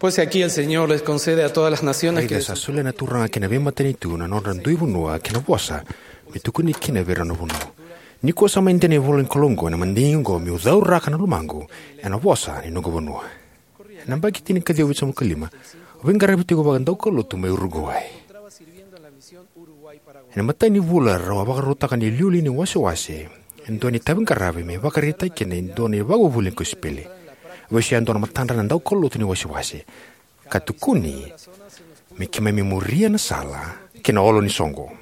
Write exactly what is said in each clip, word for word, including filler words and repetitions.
Pues aquí el Señor les concede a todas las naciones que... Raica, sa solia na Turaga ki na veimatanitu na nodra dui vanua kei na vosa me tukuni kina vei ira na vanua. Nikua sa mai dei na ivola ni Kalou oqo ena madigi oqo, meu cauraka na lomaqu ena vosa ni noqu vanua. Ena yabaki tinikaciwa vitusagavulu ka lima, au veiqaravi tiko vakadaukaulotu mai Uruguai. Ena imatai ni vula, rau a vakarautaka na iliuliu ni wasewase e dua na itaviqaravi me vakaraitaki kina e dua na ivakavuvuli ni kosipeli. Au vesuya e dua na matadra na daukaulotu ni wasewase ka tukuni me keimami muria na sala ki na olo ni soqo.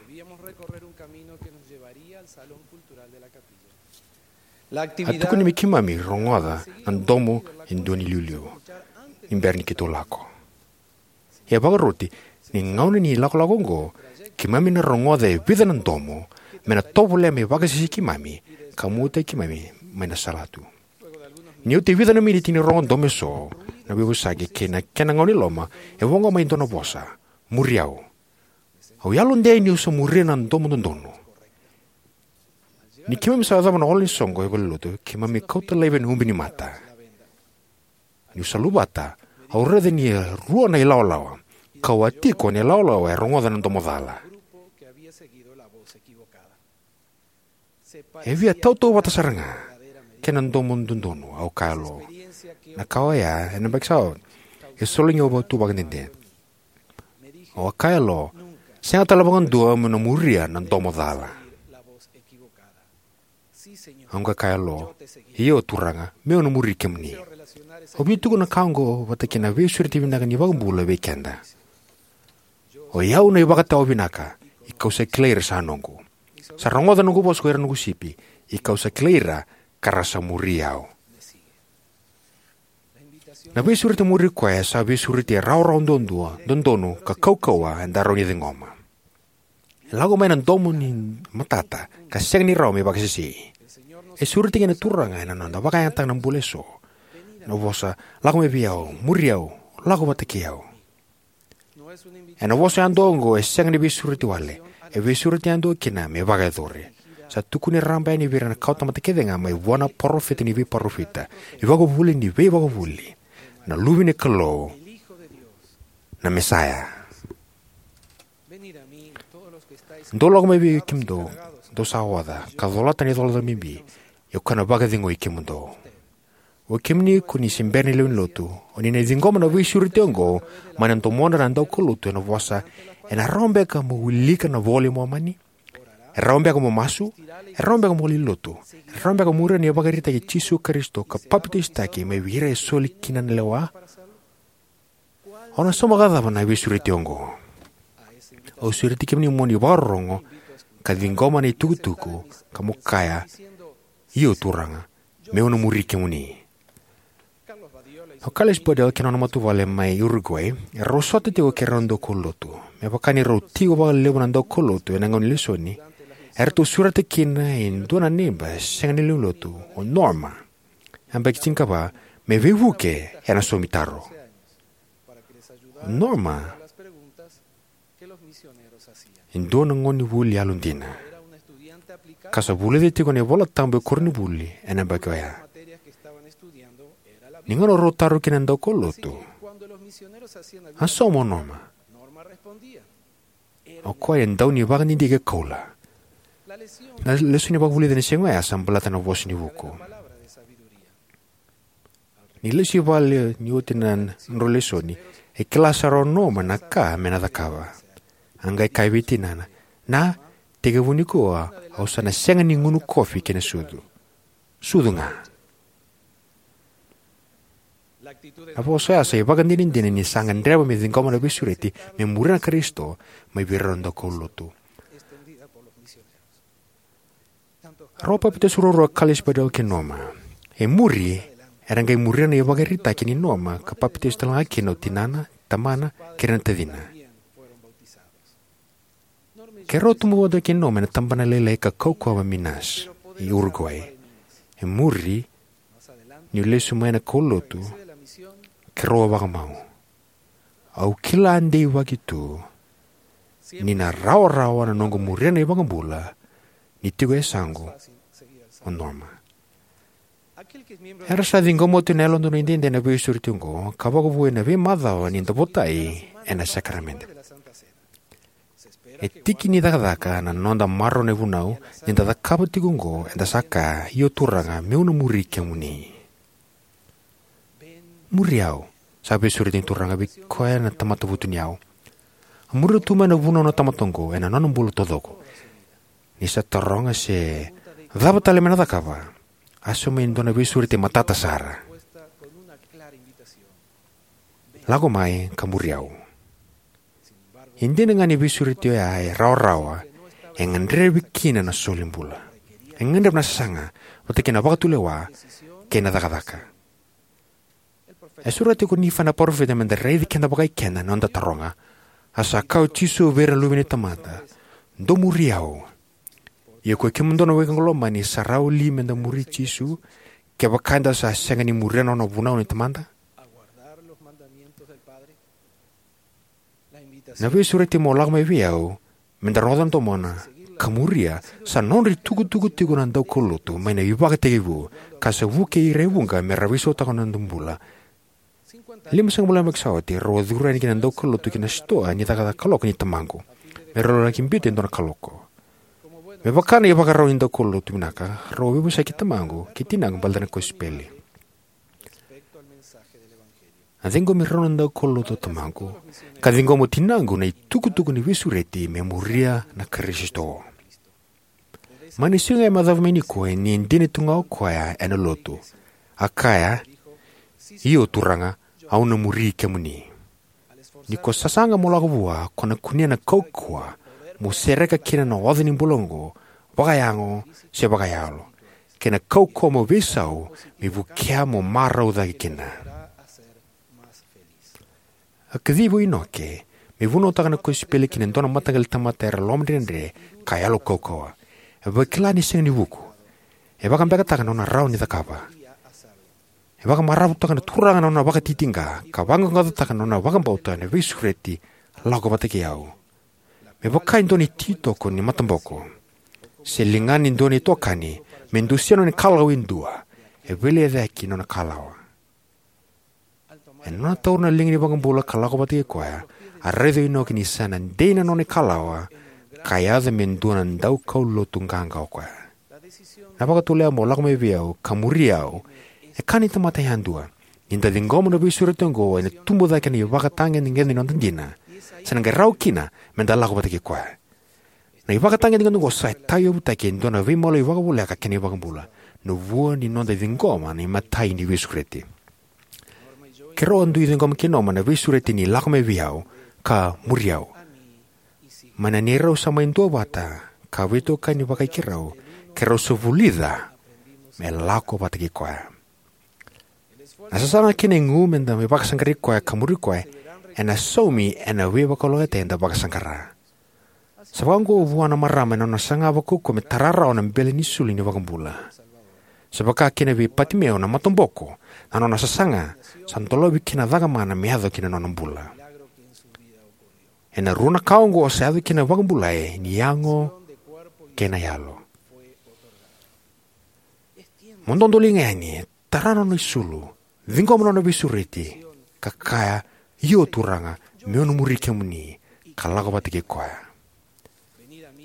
A tukuni me keimami rogoca na domo e dua na iliuliu ni bera ni keitou lako. Ia vakaroti, ni gauna ni lakolako oqo, keimami na rogoca e vica na domo me na tovolea me vakasesei keimami ka muataki keimami mai na salatu. Ni oti e vica na miniti ni rogo domo eso, na veivosaki kei na kena gauna i loma, e voqa mai e dua na vosa: "Muri au." Au yalodei niu sa muria na domo dodonu. Ni keimami sa yacova na olo ni soqo e valenilotu, keimami kauta laivi ena ubi ni mata. Niu sa luvata, au raica ni rua na ilawalawa, kau a tiko na ilawalawa e rogoca na domo cala. E via tautauvata sara ga kei na domo dodonu, au kaya lo. Na ka oya, ena yabaki sa oti, e sologi au tu vakadede. Au a kaya lo, "Sega tale vakadua meu na muria na domo cala." Au qai kaya lo, "Io, Turaga, meu na muri kemuni." Au via tukuna na ka oqo vata kei na veisureti vinaka ni iVakabula vei keda: "O i au na ivakatawa vinaka, i kau sa kilai ira sa noqu. Sa rogoca noqu vosa ko ira noqu sipi, i kau sa kilai ira ka ra sa muri au." Na veisureti muri koya sa veisureti e rawarawa duadua, dodonu ka kaukauwa eda rawa ni ciqoma. E lako mai na domo ni matata ka sega ni rawa me vakasesei. E sureti kina na Turaga ena noda vakayagataka na bula eso. Na vosa: "Lako mai vei au, muri au, lako vata kei au." Ena vosa yadua oqo, e sega ni veisureti wale. E veisureti yadua kina me vakayacori. Sa tukuni raraba yani vei ira na kawatamata kece ga, mai vua na parofita ni veiparofita, ivakavuvuli ni veivakavuvuli, na Luve ni Kalou, na Mesaya. "Dou lako mai vei kemudou, dou sa oca ka colata na icolacola bibi, ia au kau na vakacegui kemudou." O kemuni ko ni se bera ni lewe ni lotu, o ni na ciqoma na veisureti oqo mai na domodra na daukaulotu ena vosa: "Ena rawa beka mo wilika na iVola i Momani? E rawa beka mo masu? E rawa beka mo lewenilotu? E rawa beka mo muria na ivakaraitaki i Jisu Karisito ka papitaisotaki mai vei ira e soli kina na lewa?" Au na sauma vakacava na veisureti oqo? Au sureti kemuni mo ni vakarorogo ka ciqoma na itukutuku ka mo kaya: "Io, Turaga, meu na muri kemuni." O Carlos Badel kei na nona matavuvale mai Uruguay, erau sota tiko kei rau na daukaulotu. Me vaka ni rau tiko vakalevu na daukaulotu ena gauna ni lesoni, eratou sureta kina e dua na neiba sega ni lewe ni lotu, o Norma, yabaki tinikava, me veivuke ena saumitaro. O Norma e dua na gonevuli yalodina ka sa vulica tiko na iVolatabu e koronivuli ena yabaki oya. Ni gauna rau taro kina na daukaulotu, "A sauma o Norma?" O koya e dau ni vakadidike koula. Na lesoni vakavulici ena siga oya sa baleta na Vosa ni Vuku. Ni lesu i vale ni oti na nodrau lesoni, e kila sara o Norma na ka me na cakava. A qai kaya vei tinana: "Na, tekivu nikua au sa na sega ni gunu kofi kei na sucu. Sucu ga." Na vosa oya sa ivakadinadina ni sa gadreva me ciqoma na veisureti me muria na Karisito mai vei rau na daukaulotu. Rau a papitaiso ruarua o Carlos Badel kei Norma. E muri, era qai muria na ivakaraitaki nei Norma ka papitaiso talega kina o tinana, tamana, kei ira na tacina. Keirau a tubu vata kei Norma ena tabana lailai ka kaukauwa mai Minas, e Uruguay. E muri, niu lesu mai na kaulotu, keirau a vakamau. Au kila deivaki tu ni na rawarawa na noqu muria na iVakabula ni tiko e yasaqu o Norma. Era sa ciqoma oti na Yalododonu Edaidai na veisureti oqo ka vakavouya na veimacawa ni da votai ena sakaramede. E tiki ni cakacaka na noda maroroya na ivunau. Ni da cakava tiko oqo, eda sa kaya, "Io Turaga, meu na muri kemuni." "Muri au," sa veisureti na Turaga vei koya na tamata vutuniyau. A muria tu mai na ivunau na tamata oqo ena nona bula taucoko. Ni sa taroga se cava tale me na cakava, a sauma e dua na veisureti matata sara: "Lako mai ka muri au." E dina ga ni veisureti oya e rawarawa, e gadrevi kina na solibula. E gadreva na sasaga, vata kei na vakatulewa kei na cakacaka. E sureta tiko o Nifai na parofita me da raici keda vakaikeda na noda taroga. A sa kaya o Jisu vei ira na luve ni tamata, "Dou muri au. Ia koi kemudou na weka lomani, sa rawa li me da muri Jisu kevaka eda sa sega ni muria na nona vunau ni Tamada?" Na veisureti mo lako mai vei au, me da rogoca na domona, ka muria, sa nodra itukutuku tiko na daukaulotu mai na ivakatekivu, ka sa vukei ira e vuqa me ra veisautaka na noda bula. Limasagavulu na yabaki sa oti, rau a curu yani kina na daukaulotu ki na sitoa ni cakacaka kaloko nei tamaqu, me rau laki biuta e dua na kaloko. Me vaka na ivakarau ni daukaulotu vinaka, rau a veivosaki tamaqu kei tinaqu baleta na kosipeli. A ciqomi rau na daukaulotu o tamaqu, ka ciqoma o tinaqu na itukutuku ni veisureti me muria na Karisito. Mai na siga e macava mai nikua, e dina tu ga o koya ena lotu. A kaya, "Io Turaga, au na muri kemuni." Ni ko sasaga mo lako vua, ko na kunea na kaukauwa mo sereka kina na oca ni bula oqo, vakayago se vakayalo, kei na kaukauwa mo veisau me vukea mo marau cake kina. A kacivi o Inoke me vunautaka na kosipeli ki na dua na mataqali tamata era lomadredre ka yalo kaukauwa. E vakila ni sega ni vuku. E vakabekataka na nona rawa ni cakava. E vakamaravutaka na Turaga na nona vakatitiqa, ka vaqaqacotaka na nona vakabauta ena veisureti: "Lako vata kei au." Me vaka e dua na ititoko ni mataboko se ligana e dua na itokani me dusia na nona ikalawa e dua, e veilecayaki na nona ikalawa. Ena nona taura na liga ni iVakabula ka lako vata kei koya, a raica o Inoke ni sa na dei na nona ikalawa, ka yaco me dua na daukaulotu qaqa o koya. Na vakatulewa mo lako mai vei au ka muri au e ka ni tamata yadua. Ni da ciqoma na veisureti oqo, ena tubu cake na ivakatagedegede ni noda dina, se na qai rawa kina me da lako vata kei koya. Na ivakatagedegede oqo sa tauyavutaki e dua na veimaliwai vakavoleka kei na iVakabula, na vua ni noda ciqoma na imatai ni veisureti. Keirau a dui ciqoma kei Norma na veisureti ni "Lako mai vei au ka muri au." Mai na neirau sa mai duavata ka veitokani vakai keirau, keirau sa vulica me lako vata kei koya. Na sasaga kei na igu me da mai vakasaqarai koya ka muri koya ena saumi ena veivakalougatataki eda vakasaqara. Sa vakaoqo vua na marama ena nona saga vakaukauwa me tara rawa na bele ni sulu ni iVakabula. Sa vaka kina vei Patimeo na mataboko, na nona sasaga sa dolavi kina na cakamana me yaco ki na nona bula. Ena rua na ka oqo sa yaco kina na vakabulai ni yago kei na yalo. Mo dodoliga yani, tara na nona isulu, ciqoma na nona veisureti, ka kaya, "Io Turaga, meu na muri kemuni," ka lako vata kei koya.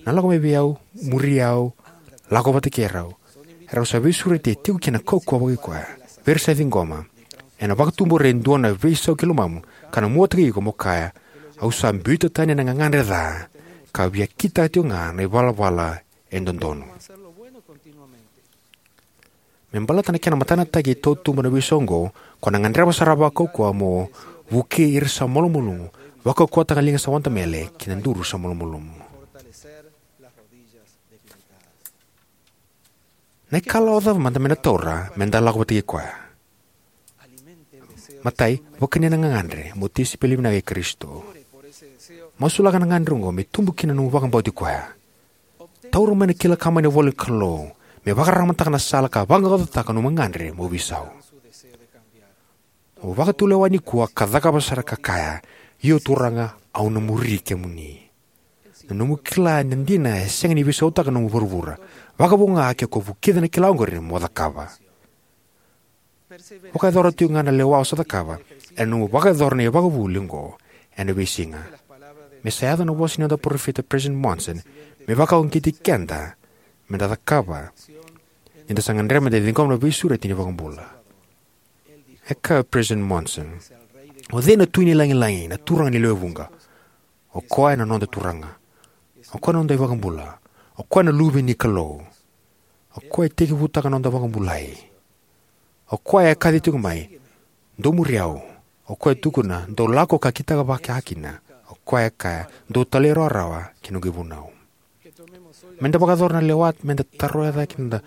Na "Lako mai vei au, muri au, lako vata kei rau," e rau sa veisureti e tiko kina na kaukauwa vakaikoya vei ira sa ciqoma. Ena vakatubura e dua na veisau ki lomamu, ka na muataki iko mo kaya, "Au sa biuta tani na gagadre ca, ka via kitaka tiko ga na ivalavala e dodonu." Me baleta na kena matanataki e tautuba na veisau oqo, ko na gadreva sara vakaukauwa mo vukei ira sa malumalumu, vakaukauwataka na liga sa wadamele kei na duru sa malumalumu. Na ikalawa cava mada me na taura me da lako vata kei koya? Matai, vakania na gagadre mo tisaipeli vinaka i Karisito. Masulaka na gagadre oqo me tubu kina na nomu vakabauti koya. Taura mai na kila ka mai na ivola ni Kalou me vakararamataka na sala ka vaqaqacotaka na nomu gagadre mo veisau. Mo vakatulewa nikua ka cakava sara ka kaya, "Io Turaga, au na muri kemuni." Na nomu kila ni dina e sega ni veisautaka na nomu vuravura. Vakavo ga ke ko vukica na kila oqori mo cakava. Vakayacora tikoga na lewa o sa cakava ena nomu vakayacora na ivakavuvuli oqo ena veisiga. Me sa yaco na vosa ni noda parofita, Peresitedi Monson, me vakauqeti keda meda cakava ni da sa gadreva meda ciqoma na veisureti ni iVakabula. E kaya o Peresitedi Monson, o cei na Tui ni Lagilagi, na Turaga ni lewe vuqa? O koya na noda Turaga. O koya na noda iVakabula. O koya na Luve ni Kalou. O koya e tekivutaka na noda vakabulai. O koya e kaci tiko mai, dou muri au. O koya e tukuna, dou lako ka kitaka vakakina. O koya e kaya, dou talairawarawa ki na noqu ivunau. Meda vakayacora na lewa meda taroya cake na noda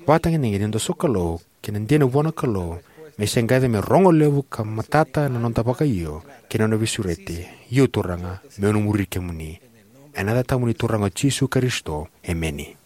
vakatagedegede, noda sokalou kei na dina vua na Kalou, me se qai yaco me rogo levu ka matata na noda vakaio kei na nona veisureti. Io Turaga, meu na muri kemuni. Ena yaca tabu ni Turaga o Jisu Karisito, emeni.